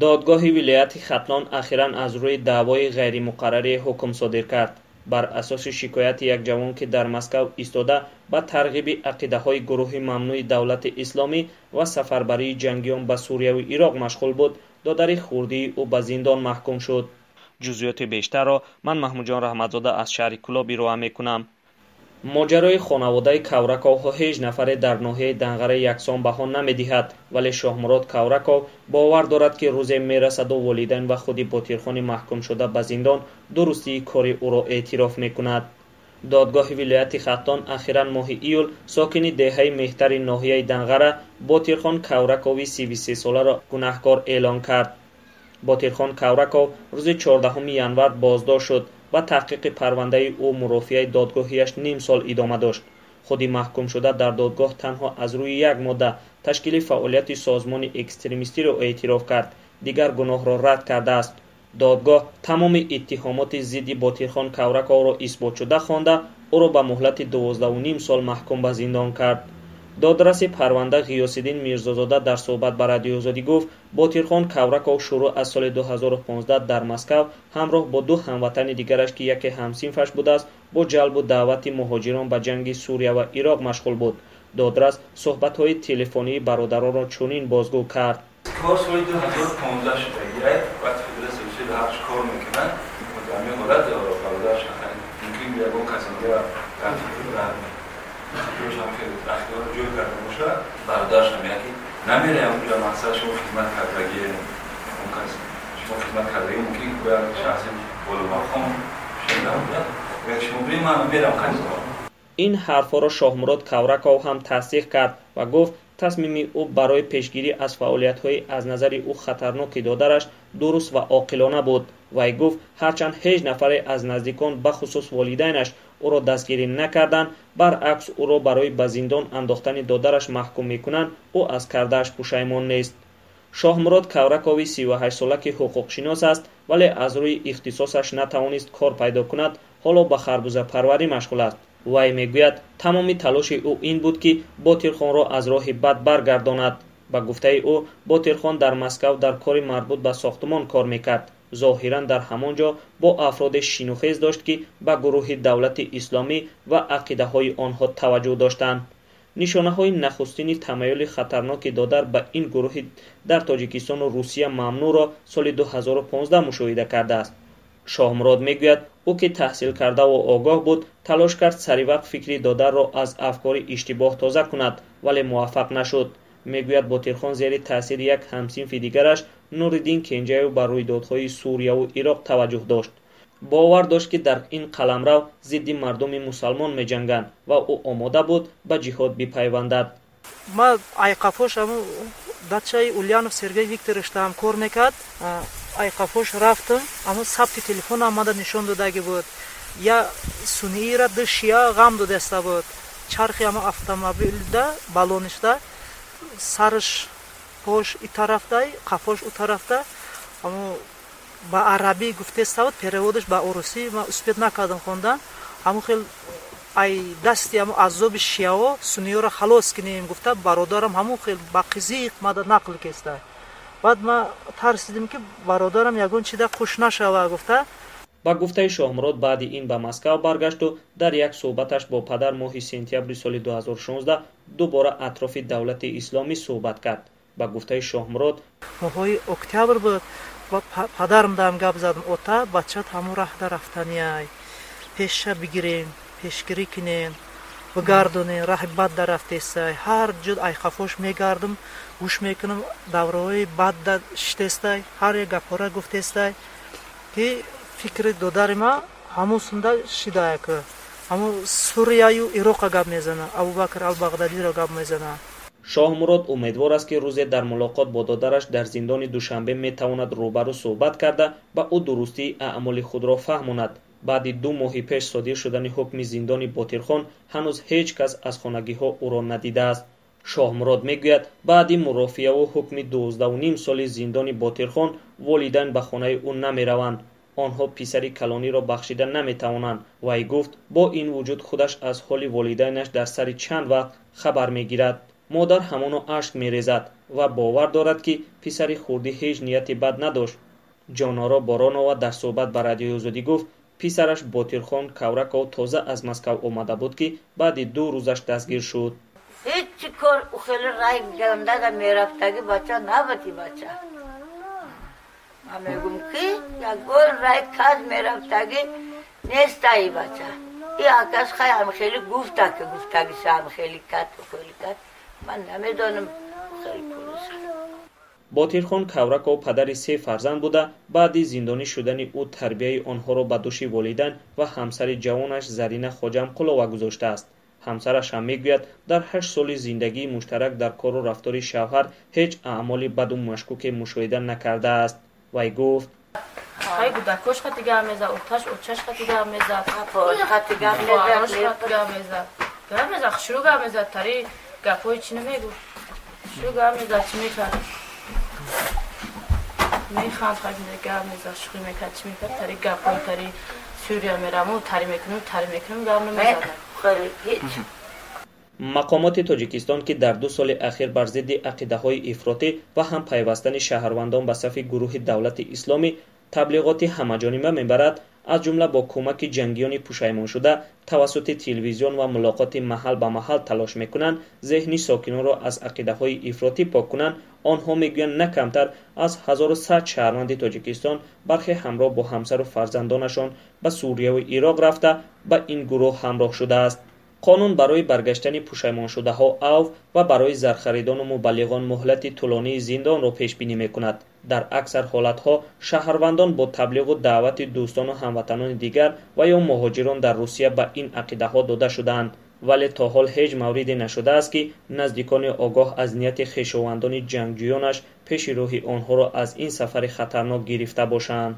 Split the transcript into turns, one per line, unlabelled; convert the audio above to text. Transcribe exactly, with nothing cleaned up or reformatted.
Додгоҳи вилояти Хатлон ахиран аз рӯи даъвои ғайримуқаррарӣ ҳукм содир кард. Бар асоси шикояти як ҷавон, ки дар Москав истода ба тарғиби ақидаҳои гурӯҳи мамнӯи Давлати Исломӣ ва сафарбарии ҷангиён ба Сурияву Ироқ машғул буд, додари хурдии ӯ ба зиндон маҳкум шуд. Ҷузъиёти бештарро ман Маҳмудҷон Раҳматзода аз шаҳри Кӯлоб ироа мекунам. Моҷарои хонаводаи Кавраковҳо ҳеҷ нафаре дар ноҳияи Данғара яксон баҳо намедиҳад, вале Шоҳмурод Кавраков бовар дорад, ки рӯзе мерасаду волидайн ва худи Ботирхони маҳкумшуда ба зиндон дурустии кори ӯро эътироф мекунад. Додгоҳи вилояти Хатлон ахиран моҳи июл сокини деҳаи Меҳтари ноҳияи Данғара Ботирхон Кавракови сиву сесоларо гунаҳкор эълон кард. Ботирхон Кавраков рӯзи чордаҳуми январ боздошт шуд ва таҳқиқи парвандаи ӯ мурофиаи додгоҳияш ним сол идома дошт. Худи маҳкумшуда дар додгоҳ танҳо аз рӯи як модда ташкили фаъолияти созмони экстремистиро эътироф кард, дигар гуноҳро рад кардааст. Додгоҳ тамоми иттиҳомоти зидди Ботирхон Кавраковро исботшуда хонда, ӯро ба муҳлати дувоздаҳу ним сол маҳкум ба зиндон кард. Додраси парванда Ғиёсиддин Мирзозода дар суҳбат ба Радиои Озодӣ гуфт, Ботирхон Кавраков шурӯъ аз соли ду ҳазору понздаҳ дар Москав ҳамроҳ бо ду ҳамватани дигараш, ки яке ҳамсинфаш будааст, бо ҷалбу даъвати муҳоҷирон ба ҷанги Сурия ва Ироқ машғул буд. Додрас суҳбатҳои телефонии бародаронро чунин бозгӯ кард.
Кор соли ду ҳазору понздаҳ шуда, вақти Федератсияи Русия дар ҳақш кор мекунад, ҳамин ҳолат бародараш мумкин ягон каси дигар дар фикр дар фикраш хеле ахлоқро ҷой карда бошад, бародараш мегӯяд, ки намераям онҷо, мақсад шумо хизмат кардагӣ, он кас шумо хизмат кардагӣ, мумкин ки як шахси боломақом шуда бошад, мегӯяд шумо биред, ман мерам қадима.
Ин ҳарфҳоро Шоҳмурод Кавраков ҳам тасдиқ кард ва гуфт, тасмими ӯ барои пешгирӣ аз фаъолиятҳои аз назари ӯ хатарноки додараш дуруст ва оқилона буд. Вай гуфт, ҳарчанд ҳеҷ нафаре аз наздикон, бахусус волидайнаш, ӯро дастгирӣ накарданд, баръакс ӯро барои ба зиндон андохтани додараш маҳкум мекунанд, ӯ аз кардааш пушаймон нест. Шоҳмурод Кавракови сиву ҳаштсола, ки ҳуқуқшинос аст, вале аз рӯи ихтисосаш натавонист кор пайдо кунад, ҳоло ба харбузапарварӣ машғул аст. Вай мегӯяд, тамоми талоши ӯ ин буд, ки Ботирхонро аз роҳи бад баргардонад. Ба гуфтаи ӯ, Ботирхон дар Москав дар кори марбут ба сохтумон кор мекард. Зоҳиран дар ҳамон ҷо бо афроде шинухез дошт, ки ба гурӯҳи Давлати Исломӣ ва ақидаҳои онҳо таваҷҷӯҳ доштанд. Нишонаҳои нахустини тамаюли хатарноки додар ба ин гурӯҳи дар Тоҷикистону Русия мамнӯъро соли ду ҳазору понздаҳ мушоҳида кардааст. Шоҳмурод мегӯяд, ӯ ки таҳсил кардаву огоҳ буд, талош кард саривақт фикри додарро аз афкори иштибоҳ тоза кунад, вале муваффақ нашуд. Мегӯяд, Ботирхон зери таъсири як ҳамсинфи дигараш Нуриддин Кенҷаев ба рӯйдодҳои Сурияву Ироқ таваҷҷӯҳ дошт. Бовар дошт, ки дар ин қаламрав зидди мардуми мусалмон меҷанганд ва ӯ омода буд ба ҷиҳод бипайвандад.
Ма айқафош ҳамун дачаи Ульянов Сергей Викторович там кор мекард, айқафош рафтам, ҳамун сабти телефон омада нишон додагӣ буд. Я сунъиира ду шия ғам додаста буд. Чархи ҳамун автомобилда балонишда сараш пош и тарафда, қафош у тарафда, ҳамун ба арабӣ гуфтеста буд, переводаш ба урусӣ ман успеть накардам хондан. Ҳамун хел ай дасти ҳамун азоби шияҳо сунниёро халос кунем гуфта, бародарам ҳамун хел ба қизиқ мада нақл кеста. Баъд ман тарсидим, ки бародарам ягон чида қуш нашава гуфта.
Ба гуфтаи Шоҳмурод, баъди ин ба Москав баргашту дар як суҳбаташ бо падар моҳи сентябри соли ду ҳазору шонздаҳ дубора атрофи Давлати Исломӣ суҳбат кард. Ба гуфтаи Шоҳмурод,
моҳҳои октябр буд ва падарам дам гап задам, ота, бачат ҳамун раҳда рафтаниай, пеша бигирем, пешгирӣ кунем, бигардонем, раҳи бад да рафтестай. Ҳар ҷо айқафош мегардам, гӯш мекунам, давраҳои бад да шитестай, ҳар як гапҳора гуфтестай, ки фикри додари ма ҳамун сунда шидаяк. Ҳамун Сурияю Ироқа гап мезана, Абубакр ал-Бағдадиро гап мезана.
Шоҳмурод умедвор аст, ки рӯзе дар мулоқот бо додараш дар зиндони Душанбе метавонад рӯбарӯ суҳбат карда ба ӯ дурустии аъмоли худро фаҳмонад. Баъди ду моҳи пеш содир шудани ҳукми зиндони Ботирхон ҳанӯз ҳеҷ кас аз хонагиҳо ӯро надидааст. Шоҳмурод мегӯяд, баъди мурофиаву ҳукми дувоздаҳу ним соли зиндони Ботирхон волидайн ба хонаи ӯ намераванд. Онҳо писари калониро бахшида наметавонанд. Вай гуфт, бо ин вуҷуд худаш аз ҳоли волидайнаш дар сари чанд вақт хабар мегирад. Модар ҳамоно ашк мерезад. ва бовар дорад, ки писари хурдӣ ҳеҷ нияти бад надошт. Ҷоноро Боронова дар суҳбат ба Радиои Озодӣ гуфт, писараш Ботирхон Кавраков тоза аз Москав омада буд, ки баъди ду рӯзаш дастгир шуд.
Ҳеҷ кор хеле рай гандада мерафтаги бача набуд. Бача, ман мегум, ки ягон рай каз мерафтаги нестаи бача. И акас хай ам хеле гуфта, ки гуфтагиша ам хеле кат, хеле кат, ман намедонам, хеле пулиса.
Ботирхон Кавраков падари се фарзанд буда, баъди зиндонӣ шудани ӯ тарбияи онҳоро ба дӯши волидайн ва ҳамсари ҷавонаш Зарина Хоҷамқулова гузоштааст. Ҳамсараш ҳам мегӯяд, дар ҳашт соли зиндагии муштарак дар кору рафтори шавҳар ҳеҷ аъмоли баду машкуке мушоҳида накардааст. Вай гуфт:
Хай, гудакош хати гап мезад, оташ очаш хати гап мезад,
хати гап мезад,
гап мезад, гап мезад, хушрӯ гап мезад, тари гапҳои чӣ намегуфт, хушрӯ гап мезад, чӣ мекард, механд, хай гап мезад, шӯхӣ мекард, чӣ мекард, тари гапҳои тари Сурия мераму, тари мекунем, тари мекунем, гап намезад.
Мақомоти Тоҷикистон, ки дар ду соли ахир бар зидди ақидаҳои ифротӣ ва ҳам пайвастани шаҳрвандон ба сафи гурӯҳи Давлати Исломӣ таблиғоти ҳамаҷониба мебарад, аз ҷумла бо кӯмаки ҷангиёни пушаймоншуда тавассути телевизион ва мулоқоти маҳал ба маҳал талош мекунанд зеҳни сокинонро аз ақидаҳои ифротӣ пок кунанд. Онҳо мегӯянд, на камтар аз ҳазору сад шаҳрванди Тоҷикистон, бархе ҳамроҳ бо ҳамсару фарзандонашон, ба Сурияву Ироқ рафта, ба ин гурӯҳ ҳамроҳ шудааст. Қонун барои баргаштани пушаймоншудаҳо авф ва барои зархаридону мубаллиғон муҳлати тӯлонии зиндонро пешбинӣ мекунад. Дар аксар ҳолатҳо шаҳрвандон бо таблиғу даъвати дӯстону ҳамватанони дигар ва ё муҳоҷирон дар Русия ба ин ақидаҳо дода шудаанд, вале то ҳол ҳеҷ мавриде нашудааст, ки наздикони огоҳ аз нияти хешовандони ҷангҷӯёнаш пеши роҳи онҳоро аз ин сафари хатарнок гирифта бошанд.